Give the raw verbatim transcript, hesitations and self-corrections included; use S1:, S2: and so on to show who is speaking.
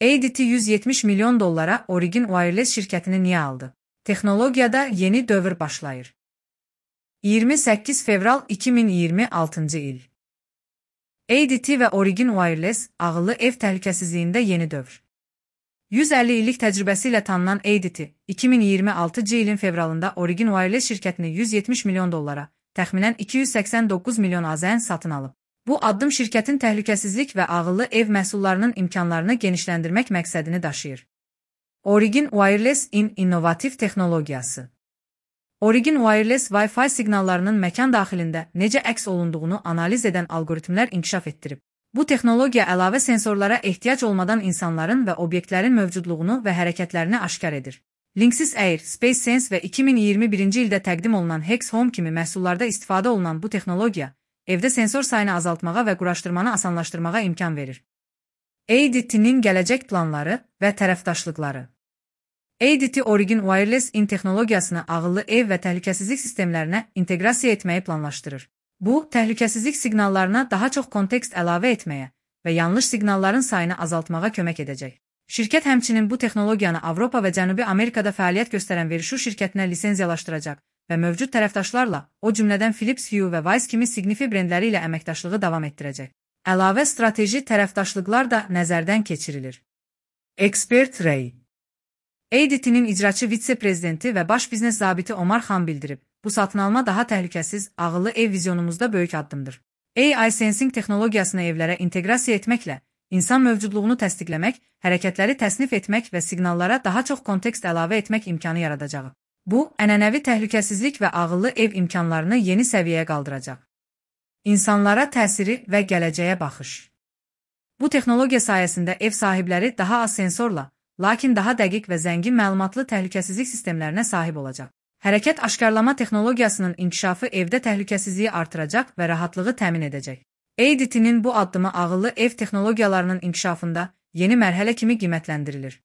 S1: A D T yüz yetmiş milyon dollara Origin Wireless şirkətini niyə aldı? Texnologiyada yeni dövr başlayır. iyirmi səkkiz fevral iki min iyirmi altıncı il. A D T və Origin Wireless ağıllı ev təhlükəsizliyində yeni dövr. yüz əlli illik təcrübəsi ilə tanınan A D T, iki min iyirmi altıncı ilin fevralında Origin Wireless şirkətini yüz yetmiş milyon dollara, təxminən iki yüz səksən doqquz milyon AZN satın alıb. Bu addım şirkətin təhlükəsizlik və ağıllı ev məhsullarının imkanlarını genişləndirmək məqsədini daşıyır. Origin Wireless-in innovativ texnologiyası. Origin Wireless Wi-Fi siqnallarının məkan daxilində necə əks olunduğunu analiz edən algoritmlər inkişaf etdirib. Bu texnologiya əlavə sensorlara ehtiyac olmadan insanların və obyektlərin mövcudluğunu və hərəkətlərini aşkar edir. Linksys Air, SpaceSense və iki min iyirmi birinci ildə təqdim olunan Hex Home kimi məhsullarda istifadə olunan bu texnologiya, evdə sensor sayını azaltmağa və quraşdırmanı asanlaşdırmağa imkan verir. A D T-nin gələcək planları və tərəfdaşlıqları. A D T Origin Wireless-in texnologiyasını ağıllı ev və təhlükəsizlik sistemlərinə inteqrasiya etməyi planlaşdırır. Bu, təhlükəsizlik siqnallarına daha çox kontekst əlavə etməyə və yanlış siqnalların sayını azaltmağa kömək edəcək. Şirkət həmçinin bu texnologiyanı Avropa və Cənubi Amerikada fəaliyyət göstərən Verisure şirkətinə lisenziyalaşdıracaq və mövcud tərəfdaşlarla, o cümlədən Philips Hue və Weiss kimi Signify brendləri ilə əməkdaşlığı davam etdirəcək. Əlavə strateji tərəfdaşlıqlar da nəzərdən keçirilir. Expert Ray A D T-nin icraçı vitse-prezidenti və baş biznes zabiti Omar Xan bildirib, bu satın alma daha təhlükəsiz, ağıllı ev vizyonumuzda böyük addımdır. A I Sensing texnologiyasını evlərə inteqrasiya etməklə, insan mövcudluğunu təsdiqləmək, hərəkətləri təsnif etmək və siqnallara daha çox kontekst əlavə etmək imkanı yaradacağı. Bu, ənənəvi təhlükəsizlik və ağıllı ev imkanlarını yeni səviyyəyə qaldıracaq. İnsanlara təsiri və gələcəyə baxış. Bu texnologiya sayəsində ev sahibləri daha az sensorla, lakin daha dəqiq və zəngin məlumatlı təhlükəsizlik sistemlərinə sahib olacaq. Hərəkət aşkarlama texnologiyasının inkişafı evdə təhlükəsizliyi artıracaq və rahatlığı təmin edəcək. A D T-nin bu addımı ağıllı ev texnologiyalarının inkişafında yeni mərhələ kimi qiymətləndirilir.